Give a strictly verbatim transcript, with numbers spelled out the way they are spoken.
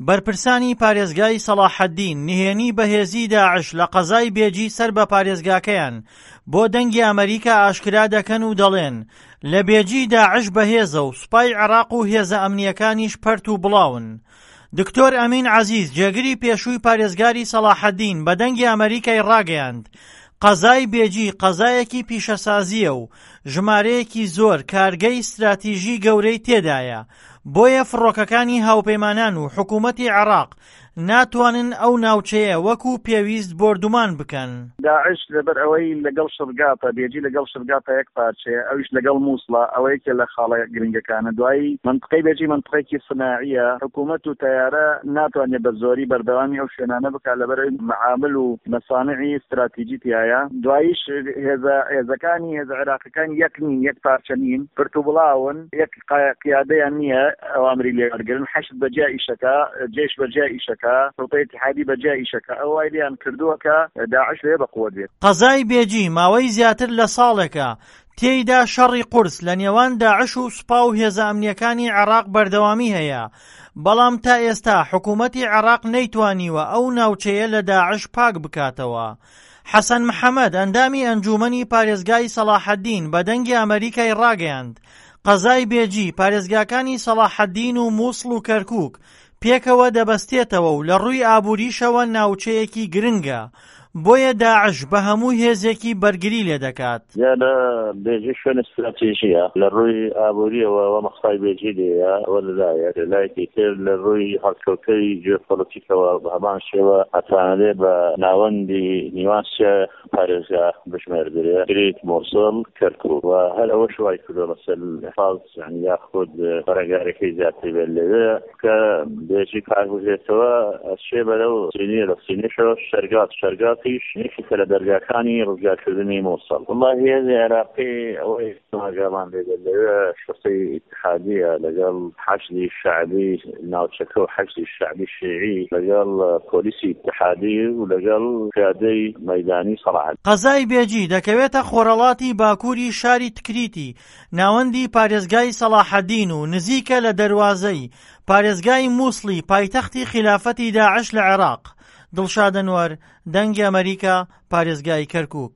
بەرپرسانی پارێزگای سەڵاحەدین نهێنی بەهێزی داعش لە قەزای بێجی سەر بە پارێزگاکەیان بۆ دەنگی ئەمەریکا ئاشکرا دەکەن و دەڵێن لە بێجی داعش بەهێزە و سوپای عێراق و هێزە ئەمنیەکانیش پەرت و بڵاون. دکتۆر ئەمین عەزیز جێگری پێشووی پارێزگاری سەڵاحەدین بە دەنگی ئەمەریکای ڕاگەیاند قەزای بێجی قەزایەکی پیشەسازیە و ژمارەیەکی زۆر کارگەی ستراتیژی گەورەی تێدایە، بۆیە فڕۆکەکانی هاوپەیمانان و حکوومەتی عێراق ناتوانن ئەو ناوچەیە وەکو پێویست بۆردومان بکەن. داعش لەبەر ئەوەی لەگەڵ شرگاتە، بێجی لەگەڵ شرگاتە یەک پارچەیە، ئەویش لەگەڵ مووسڵە، ئەوە یەکێ لە خاڵە گرنگەکانە. دوایی مەنتقەی بێجی مەنتقەیەکی سناعیە، حکوومەت و تەیارە ناتوانێت بە زۆری بەردەوامی ئەو شوێنانە بکات لەبەر ئەوەی مەعامل و مەسانعی ستراتیجی تیایە. دواییش هێزە هێزەکانی هێزە عێراقیەکان یەک نین، یەک پارچە نین، پرت و بڵاون، یەک قیادەیان نییە ئەوامری لێ وەرگرن. حەشد بەجیا ئیشەکە، جەیش بەجیا ئیشەکە، شوڕتەی ئیتیحادی بەجیا ئیشەکە، ئەوە وای لێیان کردووە کە داعش لەوێ بە قووەت بێت. قەزای بێجی ماوەی زیاتر لە ساڵێکە تێیدا شەڕی قورس لە نێوان داعش و سوپا و هێزە ئەمنیەکانی عێراق بەردەوامی هەیە، بەڵام تا ئێستا حکوومەتی عێراق نەیتوانیوە ئەو ناوچەیە لە داعش پاک بکاتەوە. حەسەن محەمەد ئەندامی ئەنجومەنی پارێزگای سەڵاحەدین بە دەنگی ئەمەریکای ڕاگەیاند قەزای بێجی پارێزگاکانی سەڵاحەدین و مووسڵ و کەرکوک پێکەوە دەبەستێتەوە و لە ڕووی ئابووریشەوە ناوچەیەکی گرنگە، بۆیە داعش بە هەموو هێزێکی بەرگری لێدەکات. دیارە بێجی شوێنی ستراتیژییە لە ڕووی ئابوورییەوە و مەخسای بێجی لێیە، ئەوە لە لایەک، لە لایەکی تر لە ڕووی هەڵکەوتەی جیۆپۆلەتیکەوە بە هەمان شێوە ئەتوانرێ بە ناوەندی نیوان سێ پارێزگا بژمێردرێ، تکریت، موسڵ، کەرکوک، و هەر ئەوەش وای کردووە مەسەل حاز یانی یاخود بەرەنگاریەکەی زیاتر بێت لەوێ کە بێجی پاک بکرێتەوە ئەچێ بەرەو سینیە، لە سینیەشەوە شەرگات، شەرگاتیش یەکێکە لە دەرگاکانی ڕزگارکردنی موسڵ. وەڵاهی هێزی عێراقی ئەوەی ئاگامان لێ بێت لەوێ شوڕتەی ئیتیحادیە لەگەڵ حەشدی شەعبی ناوچەکە و حەشدی شەعبی شیعی لەگەڵ پۆلیسی ئیتیحادی و لەگەڵ پیادەی مەیدانی سەڵاحەدین. قەزای بێجی دەکەوێتە خۆرهەڵاتی باکووری شاری تکریتی ناوەندی پارێزگای سەڵاحەدین و نزیکە لە دەروازەی پارێزگای مووسڵی پایتەختی خیلافەتی داعش لە عێراق. دڵشاد ئەنوەر، دەنگی ئەمەریکا، پارێزگای کەرکوک.